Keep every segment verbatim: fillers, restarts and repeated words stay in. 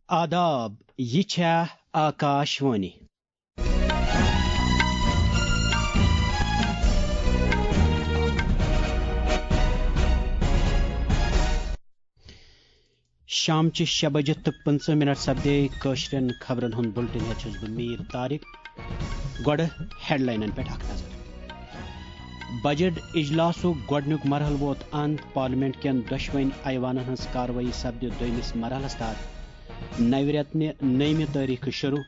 آداب، یہِ چھےٚ آکاش وانی۔ شامچہِ شےٚ بجہِ تہٕ پٕنٛژٕہ منٹ سپدے کٲشرٮ۪ن خبرن ہُنٛد بُلٹن ہٮ۪تھ چھُس بہٕ میٖر طارق۔ گۄڈٕ ہیڈلاینن پٮ۪ٹھ اکھ نظر۔ بجٹ اجلاسُک گۄڈٕنیُک مرحلہٕ ووت اند، پارلیمنٹ کٮ۪ن دۄشوٕنۍ ایوانن ہٕنٛز کاروٲیی سپدِ دوٚیمِس مرحلس تحت نوِ رٮ۪تنہِ نٔیمہِ تٲریخہٕ شروع۔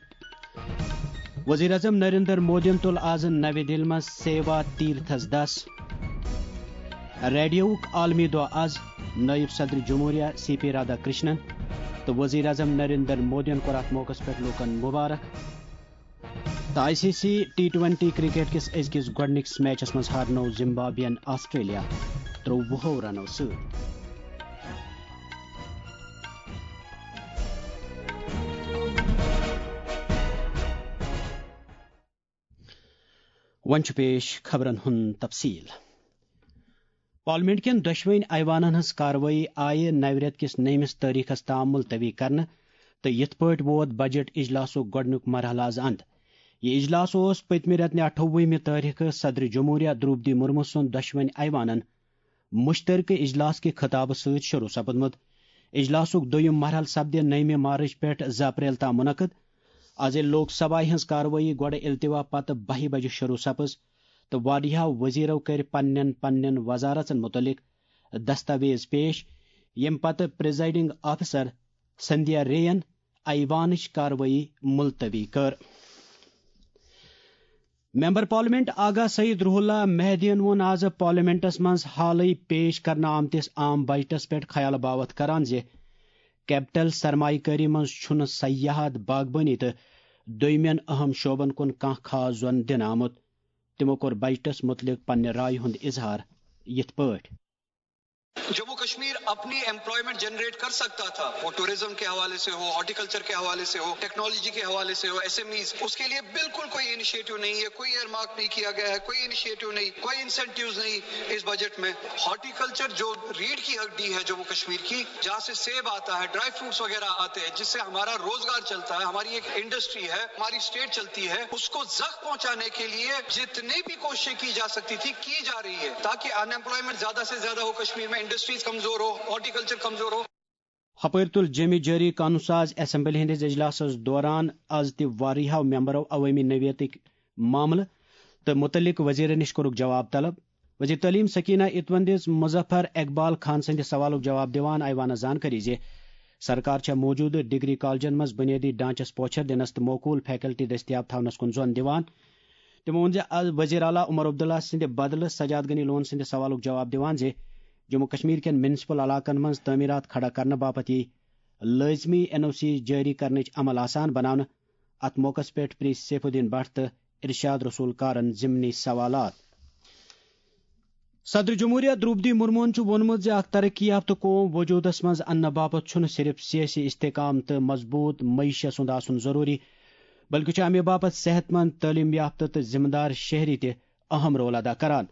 وزیر اعظم نریندر مودیَن تُل آز نَوِ دِلہِ منٛز سیوا تیرتھس دَس۔ ریڈیوُک عالمی دۄہ آز۔ نٲیِب صدر جمہوریہ سی پی رادھا کرشنن تہٕ وزیر اعظم نریندر مودیَن کوٚر اَتھ موقعس پٮ۪ٹھ لوٗکَن مبارک۔ تہٕ I C C T twenty cricket کِس أزکِس گۄڈٕنِکِس میچَس منٛز ہارنوو زمبابوین آسٹریلیا ترٛۆوُہو رنو سۭتۍ۔ وۄنۍ چھُ پیش خبرن ہُنٛد تفصیل۔ پارلیمنٹ کٮ۪ن دۄشوٕنۍ ایوانن ہٕنٛز کاروٲیی آیہِ نوِ رٮ۪تہٕ کِس نٔیمِس تٲریخس تام ملتوی کرنہٕ تہٕ یِتھ پٲٹھۍ ووت بجٹ اجلاسُک گۄڈٕنیُک مرحلہٕ آز اند۔ یہِ اجلاس اوس پٔتمہِ رٮ۪تہٕ نہِ اَٹھووُہمہِ تٲریخہٕ صدر جمہوریہ درٛوپدی مرمو سُنٛد دۄشوٕنۍ ایوانن مشترکہٕ اجلاس کہِ خطابہٕ سۭتۍ شروع سپدمُت۔ اجلاسُک دوٚیُم مرحلہٕ سپدِ نٔیمہِ مارچ پٮ۪ٹھ زٕ اپریل تام منعقد۔ از ییٚلہِ لوک سبھایہ ہٕنٛز کاروٲیی گۄڈٕ التوا پتہٕ بَہہِ بجہِ شروع سپٕز تہٕ واریاہو وزیرو کٔرۍ پننٮ۪ن پننٮ۪ن وزارژن متعلق دستاویز پیش، ییٚمہِ پتہٕ پریزائیڈنگ آفیسر سندھیا رے ین ایوانٕچ کاروٲیی ملتوی کٔر۔ ممبر پارلیمنٹ آغا سعید روح اللہ مہدیَن ووٚن آز پارلیمنٹس منٛز حالٕے پیش کرنہٕ آمتِس عام بجٹس پٮ۪ٹھ خیال باوتھ کران زِ کیپٹل سرمایہ کٲری منٛز چھُنہٕ سیاحت، باغبٲنی تہٕ دوٚیمٮ۪ن اہم شعبن کُن کانٛہہ خاص زۄن دِنہٕ آمُت۔ تِمو کوٚر بجٹس مُتعلق پننہِ رایہِ ہُنٛد اظہار یِتھ پٲٹھۍ۔ جموں کشمیر اپنی ایمپلائمنٹ جنریٹ کر سکتا تھا، وہ ٹورزم کے حوالے سے ہو، ہارٹیکلچر کے حوالے سے ہو، ٹیکنالوجی کے حوالے سے ہو، ایس ایم ایز، اس کے لیے بالکل کوئی انیشیٹو نہیں ہے، کوئی ایئر مارک نہیں کیا گیا ہے، کوئی انیشیٹو نہیں، کوئی انسینٹیوز نہیں اس بجٹ میں۔ ہارٹیکلچر جو ریڑھ کی ہڈی ہے جموں کشمیر کی، جہاں سے سیب آتا ہے، ڈرائی فروٹس وغیرہ آتے ہیں، جس سے ہمارا روزگار چلتا ہے، ہماری ایک انڈسٹری ہے، ہماری اسٹیٹ چلتی ہے، اس کو زخم پہنچانے کے لیے جتنی بھی کوششیں کی جا سکتی تھی، کی جا رہی ہے، تاکہ ان ایمپلائمنٹ زیادہ سے زیادہ ہو کشمیر میں، انڈسٹریز کمزور ہو، ہارٹیکلچر کمزور ہو۔ ہپٲرۍ تُل جیٚمہِ جٲری قانون ساز اسمبلی ہٕنٛدِس اجلاسس دوران از تہِ واریاہو ممبرو عوٲمی نوعیتٕکۍ معاملہٕ تہٕ مُتعلق وزیرن نِش کوٚرُکھ جواب طلب۔ وزیر تعلیم سکینہ اتوَن دِژ مظفر اقبال خان سٕنٛدِ سوالُک جواب دِوان ایوانس زانکٲری زِ سرکار چھےٚ موجودٕ ڈگری کالجن منٛز بنیٲدی ڈھانچس پوچھر دِنس تہٕ موقول فیکلٹی دٔستیاب تھاونس کُن زۄن دِوان۔ تِمو ووٚن زِ از وزیر اعلیٰ عمر عبداللہ سٕنٛدِ بدلہٕ سجاد غنی لون سٕنٛدِ سوالُک جواب دِوان زِ جموں کشمیر کٮ۪ن میونسپل علاقن منٛز تعمیرات کھڑا کرنہٕ باپتھ یی لٲزمی این او سی جٲری کرنٕچ عمل آسان بناونہٕ۔ اتھ موقعس پٮ۪ٹھ پریٚژھ سیف الدین بٹ تہٕ ارشاد رسول کارن ضمنی سوالات۔ صدر جمہوریہ درٛوپدی مرموہن چھُ ووٚنمُت زِ اکھ ترقی یافتہٕ قوم وجوٗدس منٛز اننہٕ باپتھ چھُنہٕ صرف سیٲسی استحکام تہٕ مضبوٗط معیشت سُنٛد آسُن ضروٗری، بلکہِ چھُ امہِ باپتھ صحت مند، تعلیم یافتہٕ تہٕ ذمہٕ دار شہری تہِ اہم رول ادا کران۔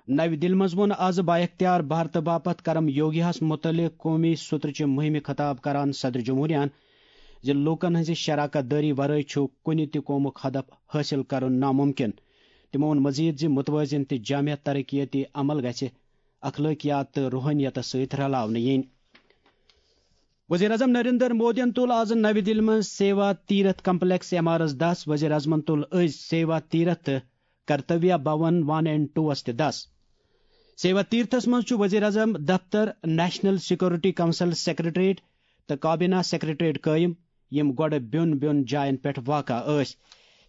نَوِ دِلہِ منٛز ووٚن آز با اختیار بھارتہٕ باپتھ کرم یوگیاہس مُتعلق قومی سترٕچہِ مُہِمہِ خطاب کران صدر جمہوریہن زِ لوٗکن ہٕنٛزِ شراکت دٲری ورٲے چھُ کُنہِ تہِ قومُک ہدف حٲصِل کرُن ناممکن۔ تِمو ووٚن مزید زِ متوازن تہٕ جامع ترقیتی عمل گژھِ اخلٲقیات تہٕ روحٲنیتس سۭتۍ رلاونہٕ یِنۍ۔ وزیر اعظم نریندر مودیَن تُل آز نَوِ دِلہِ منٛز سیوا تیرتھ کمپلیکس ایم آر ایس دَس۔ وزیر اعظمَن تُل أزۍ سیوا تیرتھ تہٕ کرتویہ بھون ون اینڈ ٹوس تہِ دَس۔ سیوا تیرتھس منٛز چھُ وزیر اعظم دفتر، نیشنل سیکورٹی کونسل سیکرٹریٹ تہٕ کابینہ سیکرٹریٹ قٲیِم، یِم گۄڈٕ بیوٚن بیوٚن جاین پٮ۪ٹھ واقع ٲسۍ۔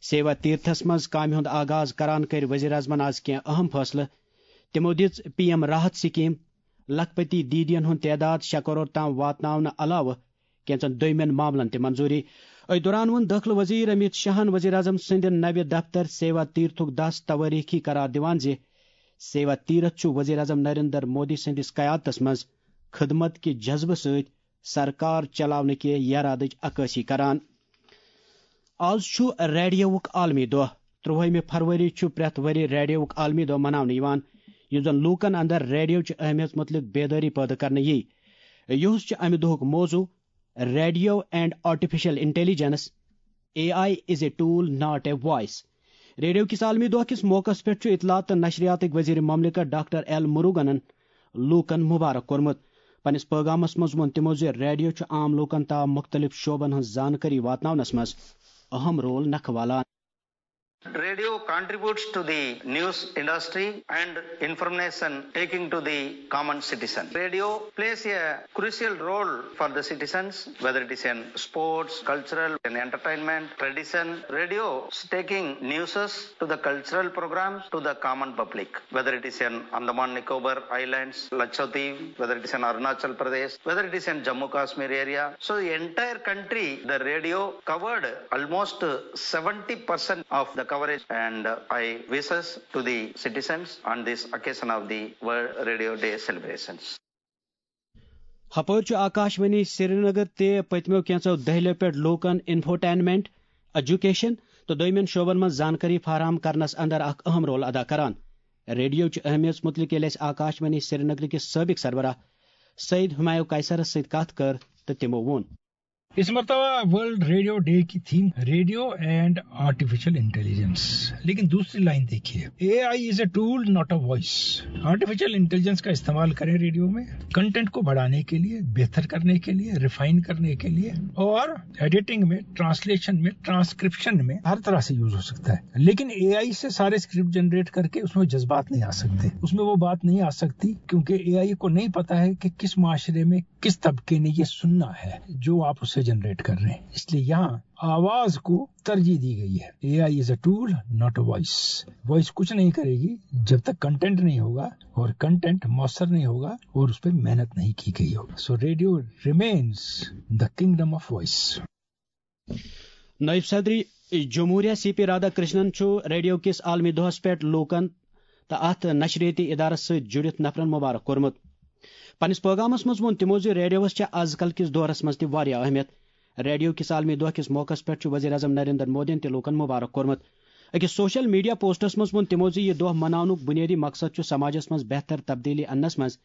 سیوا تیرتھس منٛز کامہِ ہُنٛد آغاز کران کٔرۍ وزیر اعظمَن آز کینٛہہ اہم فٲصلہٕ۔ تِمو دِژ پی ایم راحت سکیم، لکھپتی دیدین ہُنٛد تعداد شےٚ کرور تام واتناونہٕ علاوٕ کینٛژن دویمٮ۪ن معاملن تہِ منظوٗری۔ أتھۍ دوران ووٚن دٲخلہٕ وزیر امیت شاہن وزیر اعظم سٕنٛدِ نَوِ دفتر سیوا تیرتھُک دَس توٲریٖخی قرار دِوان زِ سیوا تیرتھ چھُ وزیر اعظم نریندر مودی سٕنٛدِس قیادتس منٛز خدمت کہِ جذبہٕ سۭتۍ سرکار چلاونہٕ کہِ یرادٕچ عکٲسی کران۔ آز چھُ ریڈیوُک عالمی دۄہ۔ ترٛۆہمہِ فروری چھُ پرٛٮ۪تھ ؤرۍ ریڈیوُک عالمی دۄہ مناونہٕ یِوان، یُس زن لوٗکن اندر ریڈیو چہِ اہمیت مُتعلق بیدٲری پٲدٕ کرنہٕ یی۔ یُہُس چھُ امہِ دۄہُک موضوع Radio and Artificial Intelligence, A I is a tool, not a voice. Radio کِس عالمی دۄہ کِس موقعس پٮ۪ٹھ چھُ اطلاعات تہٕ نشریاتٕکۍ وزیر مملکت ڈاکٹر ایل مروگنن لوٗکن مبارک کوٚرمُت۔ پننِس پٲغامس منٛز ووٚن تِمو زِ ریڈیو چھُ عام لوٗکن تام مُختٔلِف شعبن ہٕنٛز زانکٲری واتناونس منٛز اہم رول نکھٕ والان۔ Radio contributes to the news industry and information taking to the common citizen. Radio plays a crucial role for the citizens, whether it is in sports, cultural, and entertainment, tradition. Radio is taking newses to the cultural programs to the common public, whether it is in Andaman Nicobar Islands, Lakshadweep, whether it is in Arunachal Pradesh, whether it is in Jammu Kashmir area. So the entire country, the radio covered almost seventy percent of the coverage, and I wishes to the citizens on this occasion of the World Radio Day celebrations. ہپٲرۍ چھُ آکاشوانی سرینگر تہِ پٔتمیو کینٛژو دٔہلیو پٮ۪ٹھ لوٗکن infotainment, education تہٕ دوٚیمٮ۪ن شعبن منٛز زانکٲری فراہم کرنس اندر اکھ اہم رول ادا کران۔ ریڈیو چہِ اہمیت متعلق ییٚلہِ اَسہِ آکاشوانی سرینگر کِس سٲبق سربراہ سید ہمایو قیصرس سۭتۍ کتھ کٔر تہٕ تِمو ووٚن۔ اس مرتبہ ورلڈ ریڈیو ڈے کی theme radio and artificial intelligence, لیکن دوسری لائن دیکھیے، AI is a tool, not a voice. Artificial intelligence کا استعمال کریں ریڈیو میں کنٹینٹ کو بڑھانے کے لیے، بہتر کرنے کے لیے، ریفائن کرنے کے لیے، اور ایڈیٹنگ میں، ٹرانسلیشن میں، ٹرانسکرپشن میں ہر طرح سے یوز ہو سکتا ہے۔ لیکن AI سے سارے اسکرپٹ جنریٹ کرکے اس میں جذبات نہیں آ سکتے، اس میں وہ بات نہیں آ سکتی، کیونکہ AI کو نہیں پتا ہے کہ کس معاشرے میں کس طبقے نے یہ سننا ہے جو آپ اسے جنریٹ کر رہے ہیں۔ اس لیے یہاں آواز کو ترجیح دی گئی ہے۔ AI is a tool, not a voice. وائس کچھ نہیں کرے گی جب تک کنٹینٹ نہیں ہوگا، اور کنٹینٹ مؤثر نہیں ہوگا اور اس پہ محنت نہیں کی گئی ہوگی۔ So radio remains the kingdom of voice. نائب صدر جمہوریہ سی پی رادھا کرشنن چھُ ریڈیو کِس عالمی دۄہس پٮ۪ٹھ لوٗکن تہٕ اتھ نشریٲتی ادارس سۭتۍ جُڑِتھ نفرن مبارک کوٚرمُت۔ پننِس پٲغامس منٛز ووٚن تِمو زِ ریڈیوس چھےٚ از کل کِس دورس منٛز تہِ واریاہ اہمیت۔ ریڈیو کِس عالمی دۄہ کِس موقعس پٮ۪ٹھ چھُ وزیر اعظم نریندر مودیَن تہِ لوٗکن مبارک کوٚرمُت۔ أکِس سوشل میڈیا پوسٹس منٛز ووٚن تِمو زِ یہِ دۄہ مناونُک بُنیٲدی مقصد چھُ سماجس منٛز بہتر تبدیلی اننس منٛز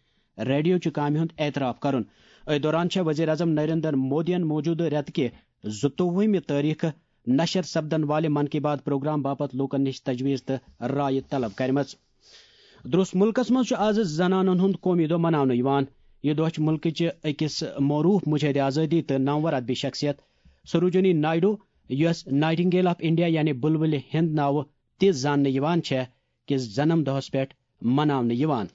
ریڈیو چہِ کامہِ ہُنٛد اعتراف کرُن۔ أتھۍ دوران چھےٚ وزیر اعظم نریندر مودیَن موجودٕ رٮ۪تہٕ کہِ زٕتووُہمہِ تٲریخہٕ نشر سپدن والہِ من کی بات پروگرام باپتھ لوٗکن نِش تجویز تہٕ رایہِ طلب کرِمژ۔ درس ملکس منٛز چھُ آز زنانن ہُنٛد قومی دۄہ مناونہٕ یِوان۔ یہِ دۄہ چھُ ملکٕچہِ أکِس معروٗف مجاہد آزٲدی تہٕ نامور ادبی شخصیت سروجنی نائیڈو، یۄس نائٹنگیل آف انڈیا یعنی بلبلِ ہند ناوٕ تہِ زاننہٕ یِوان چھےٚ، کِس جنم دۄہس پٮ۪ٹھ مناونہٕ یِوان۔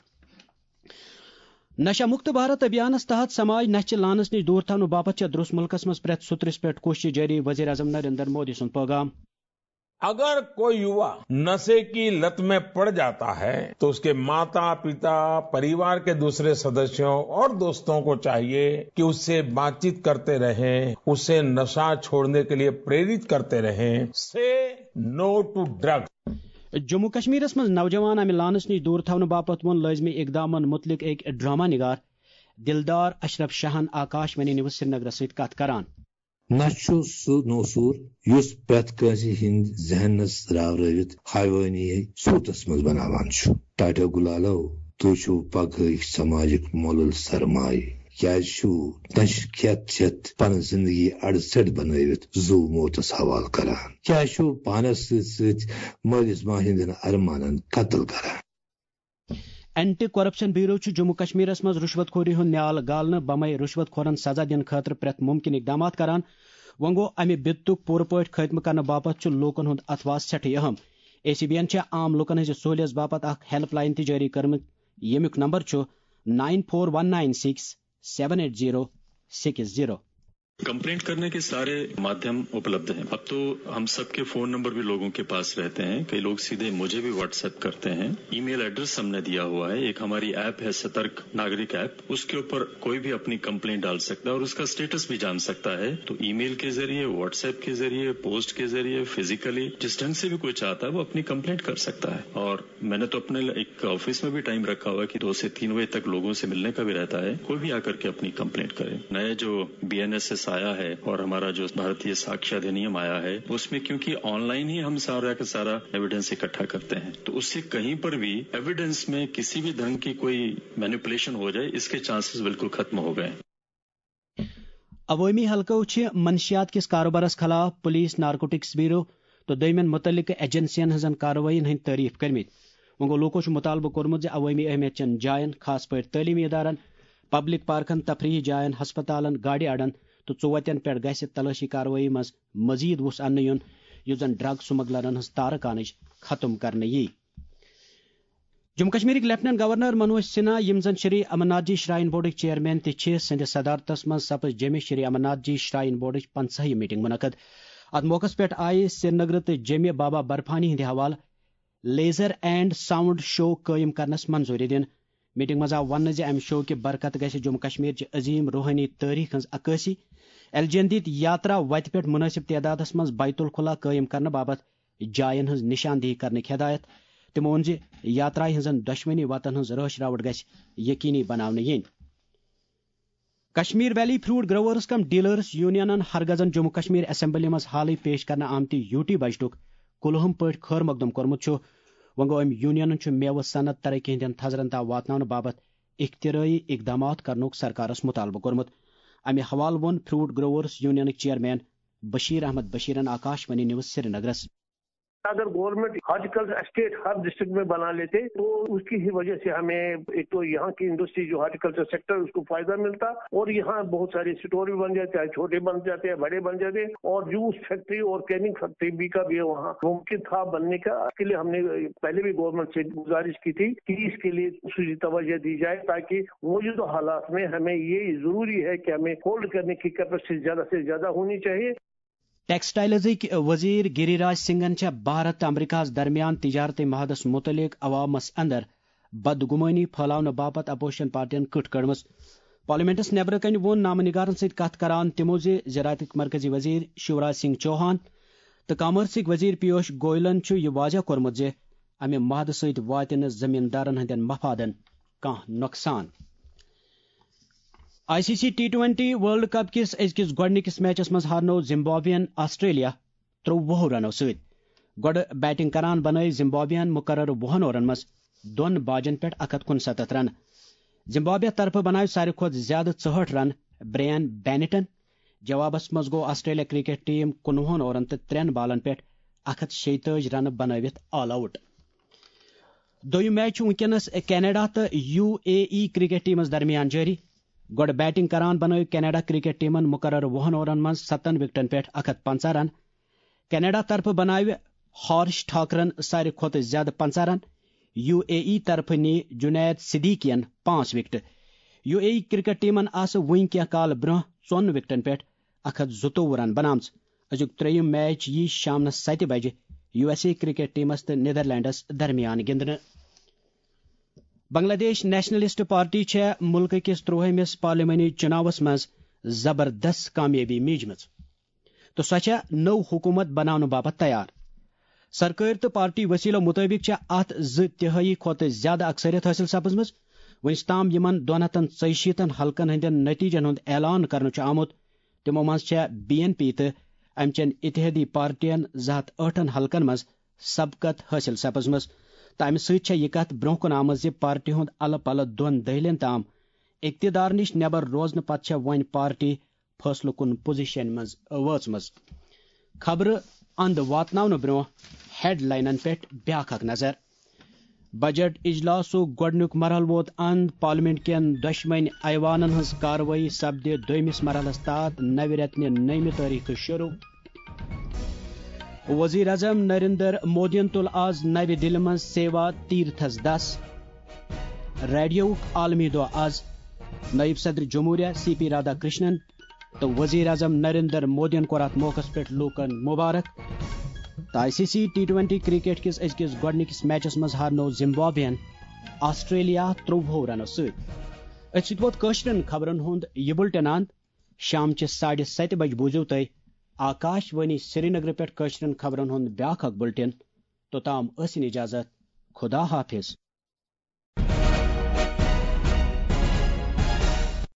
نشہ مکت بھارت ابھیانس تحت سماج نشہ چہِ لانس نِش دوٗر تھاونہٕ باپتھ چھےٚ درس ملکس منٛز پرٛٮ۪تھ سُترِس پٮ۪ٹھ کوٗشش جٲری، وزیر اعظم نریندر مودی سُنٛد پٲغام۔ अगर कोई युवा नशे की लत में पड़ जाता है तो उसके माता पिता, परिवार के दूसरे सदस्यों और दोस्तों को चाहिए कि उससे बातचीत करते रहें, उसे नशा छोड़ने के लिए प्रेरित करते रहें। Say no to drugs. Jammu کشمیرس منٛز نوجوان امہِ لانس نِش دوٗر تھاونہٕ باپتھ ووٚن لٲزمی اقدامن مُتعلق أکۍ ڈرامہ نگار دلدار اشرف شاہن آکاش وانی نیوز سرینگرس سۭتۍ کتھ کران۔ نہ چھُ سُہ نوسوٗر یُس پرٛٮ۪تھ کٲنٛسہِ ہٕنٛدۍ ذہنس راورٲوِتھ حیوٲنی صوٗرتس منٛز بناوان چھُ۔ ٹاٹا گُلالو، تُہۍ چھِو پگہٲوۍ سماجُک مۄلُل سرمایہِ۔ کیازِ چھِو نشہٕ کھٮ۪تھ چٮ۪تھ پنٕنۍ زندگی اڑٕ ژٔٹۍ بنٲوِتھ زُو موتس حوالہٕ کران؟ کیازِ چھِو پانس سۭتۍ سۭتۍ مٲلِس ماجہِ ہٕنٛدٮ۪ن ارمانن قتل کران؟ اینٹی کرپشن بیورو چھُ جموں کشمیرس منٛز رُشوت خوری ہُنٛد نیال گالنہٕ بمے رُشوت خورن سزا دِنہٕ خٲطرٕ پرٛٮ۪تھ مُمکِن اقدامات کران۔ وۄنۍ گوٚو، امہِ بِدتُک پوٗرٕ پٲٹھۍ خٲتمہٕ کرنہٕ باپتھ چھُ لوٗکن ہُنٛد اتھواس سٮ۪ٹھاہ اہم۔ اے سی بی ین چھےٚ عام لوٗکن ہٕنٛزِ سہوٗلیژ باپتھ اکھ ہیلپ لاین تہِ جٲری کٔرمٕژ، ییٚمیُک نمبر چھُ nine four one nine six seven eight zero six zero۔ Complaint करने के सारे माध्यम उपलब्ध हैं। अब तो हम सबके फोन नंबर भी लोगों के पास रहते हैं। कई लोग सीधे मुझे भी व्हाट्सएप करते हैं। ईमेल एड्रेस हमने दिया हुआ है। एक हमारी ऐप है सतर्क नागरिक ऐप, उसके ऊपर कोई भी अपनी कंप्लेंट डाल सकता है और उसका स्टेटस भी जान सकता है। तो ईमेल के जरिए, व्हाट्सएप के जरिए, पोस्ट के जरिए, फिजिकली, जिस ढंग से भी कोई चाहता है वो अपनी कंप्लेंट कर सकता है। और मैंने तो अपने एक ऑफिस में भी टाइम रखा हुआ है कि दो से तीन बजे तक लोगों से मिलने का भी रहता है। कोई भी आकर के अपनी कंप्लेंट करे। नया जो बी एन एस एस आया है और हमारा जो भारतीय साक्ष्य अधिनियम आया है, उसमें क्योंकि ऑनलाइन ही हम सारा का सारा एविडेंस इकट्ठा करते हैं, तो उससे कहीं पर भी एविडेंस में किसी भी ढंग की कोई मैनिपुलेशन हो जाए, इसके चांसेस बिल्कुल खत्म हो गए। عوٲمی حلقو چھِ منشیات کِس کاروبارس خلاف پولیس، نارکوٹکس بیورو تہٕ دوٚیمٮ۪ن مُتعلقہٕ ایجنسین ہٕنٛزن کاروٲیین ہٕنٛدۍ تعریف کٔرمٕتۍ۔ وۄنۍ گوٚو، لوٗکو چھُ مُطالبہٕ کوٚرمُت زِ عوٲمی اہمیت چٮ۪ن جاین، خاص پٲٹھۍ تعلیمی ادارن، پبلک پارکن، تفریحی جاین، ہسپتالن، گاڑِ اڈن تہٕ ژوتٮ۪ن پٮ۪ٹھ گژھِ تلٲشی کاروٲیی منٛز مزید وُس اننہٕ یُن، یُس زن ڈرگ سمگلرن ہٕنٛز تارٕ کانٕچ ختم کرنہٕ یی۔ جموں کشمیرٕکۍ لیفٹیننٹ گورنر منوج سنہا، یِم زن شری امرناتھ جی شراین بورڈٕکۍ چیئرمین تہِ چھِ، سٕنٛدِ صدارتس منٛز سپٕز جیٚمہِ شری امرناتھ جی شراین بورڈٕچ پنٛژاہِم میٹنگ منعقد۔ اتھ موقعس پٮ۪ٹھ آیہِ سرینگرٕ تہٕ جیٚمہِ بابا برفانی ہٕنٛدِ حوالہٕ لیزر اینڈ ساؤنڈ شو قٲیِم کرنس منظوٗری دِنہٕ۔ میٹنگ منٛز آو وننہٕ زِ امہِ شو کہِ برکتہٕ گژھِ جموں کشمیر چہِ عظیم روحٲنی تٲریخ ہٕنٛز عکٲسی، ایل جی این دِتۍ یاترا وتہِ پٮ۪ٹھ مناسب تعدادس منٛز بیت الخلا قٲیِم کرنہٕ باپتھ جاین ہٕنٛز نشاندہی کرنٕکۍ ہدایت۔ تِمو ووٚن زِ یاترایہِ ہٕنٛزن دۄشوٕنی وتن ہٕنٛز رٲچھ راوٹھ گژھِ یقینی بناونہٕ یِنۍ۔ کشمیر ویلی فروٹ گروورز کم ڈیلرز یونینن ہرگزن جموں کشمیر اسمبلی منٛز حالٕے پیش کرنہٕ آمتہِ یوٗ ٹی بجٹُک کُلہُم پٲٹھۍ خٲر مقدم کوٚرمُت چھُ۔ وۄنۍ گوٚو، أمۍ یونینن چھُ میوٕ صنعت ترقی ہٕنٛدٮ۪ن تھزرن تام واتناونہٕ باپتھ اختراعی اقدامات کرنُک سرکارس مطالبہٕ کوٚرمُت۔ امہِ حوالہٕ ووٚن فروٹ گروورز یونینٕکۍ چیئرمین بشیر احمد بشیرن آکاش وانی نیوز سرینگرس۔ اگر گورنمنٹ ہارٹیکلچر اسٹیٹ ہر ڈسٹرکٹ میں بنا لیتے تو اس کی ہی وجہ سے ہمیں ایک تو یہاں کی انڈسٹری جو ہارٹیکلچر سیکٹر اس کو فائدہ ملتا اور یہاں بہت سارے اسٹور بھی بن جاتے ہیں، چھوٹے بن جاتے ہیں، بڑے بن جاتے ہیں اور جوس فیکٹری اور کیننگ فیکٹری بھی کا بھی وہاں ممکن تھا بننے کا۔ اس کے لیے ہم نے پہلے بھی گورنمنٹ سے گزارش کی تھی کہ اس کے لیے خصوصی توجہ دی جائے تاکہ موجودہ حالات میں ہمیں یہ ضروری ہے کہ ہمیں ہولڈ کرنے کی کیپیسٹی زیادہ سے زیادہ ہونی چاہیے۔ ٹیکسٹائلزٕکۍ وزیر گری راج سنگھن چھےٚ بھارت تہٕ امریکہس درمیان تجارتی معاہدس متعلق عوامس اندر بدگمٲنی پھٲلاونہٕ باپتھ اپوزیشن پارٹین کٕٹھ کٔڑمٕژ۔ پارلیمنٹس نیبرٕ کنہِ ووٚن نامہ نگارن سۭتۍ کتھ کران تِمو زِ زراعتٕکۍ مرکزی وزیر شیوراج سنگھ چوہان تہٕ کامرسٕکۍ وزیر پیوش گوئلن چھُ یہِ واضح کوٚرمُت زِ امہِ معاہدٕ سۭتۍ واتہِ نہٕ زمیٖندارن ہٕنٛدٮ۪ن مفادن کانٛہہ نۄقصان۔ I C C T twenty world cup کِس أزکِس گۄڈٕنِکِس میچس منٛز ہارنوو زمبابوین آسٹریلیا ترٛۆوُہو رنو سۭتۍ۔ گۄڈٕ بیٹنگ کران بنٲوۍ زمبابوین مقررٕ وُہن اوورن منٛز دۄن باجن پٮ۪ٹھ اکھ ہتھ کُنستتھ رنہٕ۔ زمبابوے طرفہٕ بناوِ ساروی کھۄتہٕ زیادٕ ژُہٲٹھ رن برین بینیٹن۔ جوابس منٛز گوٚو آسٹریلیا کرکٹ ٹیم کُنوُہن اوورن تہٕ ترٛٮ۪ن بالن پٮ۪ٹھ اکھ ہتھ شیٚیہِ تٲجۍ رنہٕ بنٲوِتھ آل آوٹ۔ دوٚیُم میچ چھُ وُنکیٚنَس کینیڈا تہٕ یو اے ای کرکٹ ٹیمَس درمیان جٲری۔ گۄڈٕ بیٹنگ کران بنٲوۍ کینیڈا کرکٹ ٹیمَن مقررٕ وُہَن اوورَن منٛز ستَن وکٹن پٮ۪ٹھ اکھ ہتھ پنٛژاہ رن۔ کینیڈا طرفہٕ بناوِ ہارش ٹھاکرَن ساروی کھۄتہٕ زیادٕ پنٛژاہ رن۔ یو اے ای طرفہٕ نی جنید صدیقین پانٛژھ وکٹہٕ۔ یو اے ای کرکٹ ٹیمَن آسہٕ وُنہِ کینٛہہ کال برٛونٛہہ ژۄن وکٹن پٮ۪ٹھ اکھ ہتھ زٕتووُہ رن بناومٕژ۔ أزیُک ترٛیٚیِم میچ یی شامنس ستہِ بجہِ یو ایس اے کرکٹ ٹیمس تہٕ نیدرلینڈس درمیان گِنٛدنہٕ۔ بنگلہ دیش نیشنلسٹ پارٹی چھےٚ مُلکہٕ کِس ترٛوہمِس پارلیمانی چُناوس منٛز زبردست کامیٲبی میٖجمٕژ تہٕ سۄ چھےٚ نٔو حکوٗمت بناونہٕ باپتھ تیار۔ سرکٲرۍ تہٕ پارٹی وسیلو مُطٲبِق چھےٚ اتھ زٕ تِہٲیی کھۄتہٕ زیادٕ اکثریت حٲصِل سپٕزمٕژ۔ وُنیُک تام یِمن دۄن ہتن ژۄیہِ شیٖتن حلقن ہٕنٛدٮ۪ن نتیٖجن ہُنٛد اعلان کرنہٕ چھُ آمُت، تِمو منٛز چھےٚ بی این پی تہٕ امہِ چٮ۪ن اتحادی پارٹین زٕ ہتھ ٲٹھن حلقن منٛز سبقت حٲصِل سپٕزمٕژ تہٕ امہِ سۭتۍ چھےٚ یہِ کتھ برٛونٛہہ کُن آمٕژ زِ پارٹی ہُنٛد الہٕ پلہٕ دۄن دٔہلین تام اقتدار نِش نٮ۪بر روزنہٕ پتہٕ چھےٚ وۄنۍ پارٹی فٲصلہٕ کُن پوزیشن منٛز وٲژمٕژ۔ خبرٕ اند واتناونہٕ برٛونٛہہ ہیڈلاینن پٮ۪ٹھ بیاکھ اکھ نظر۔ بجٹ اجلاسُک گۄڈٕنیُک مرحلہٕ ووت اند، پارلیمنٹ کٮ۪ن دۄشوٕنۍ ایوانن ہٕنٛز کاروٲیی سپدِ دوٚیمِس مرحلس تحت نوِ رٮ۪تہٕ نہِ نٔیمہِ تٲریخہٕ شروع۔ وزیر اعظم نریندر مودیَن تُل آز نَوِ دِلہِ منٛز سیوا تیرتھس دَس۔ ریڈیوُک عالمی دۄہ آز۔ نائب صدر جمہوریہ سی پی رادھا کرشنن تہٕ وزیر اعظم نریندر مودیَن کوٚر اَتھ موقعس پٮ۪ٹھ لوٗکَن مبارک۔ تہٕ I C C T twenty cricket کِس أزکِس گۄڈٕنِکِس میچَس منٛز ہارنوو زمبابوین آسٹریلیا ترٛۆوُہو رنو سۭتۍ۔ أتھۍ سۭتۍ ووت کٲشرٮ۪ن خبرن ہُنٛد یہِ بُلٹن اند۔ شام چہِ ساڑِ ستہِ بجہِ بوٗزِو تُہۍ آکاش وانی سرینگرٕ پٮ۪ٹھ کٲشرٮ۪ن خبرن ہُنٛد بیٛاکھ اکھ بُلٹن۔ توٚتام ٲسِن اجازت۔ خدا حافظ۔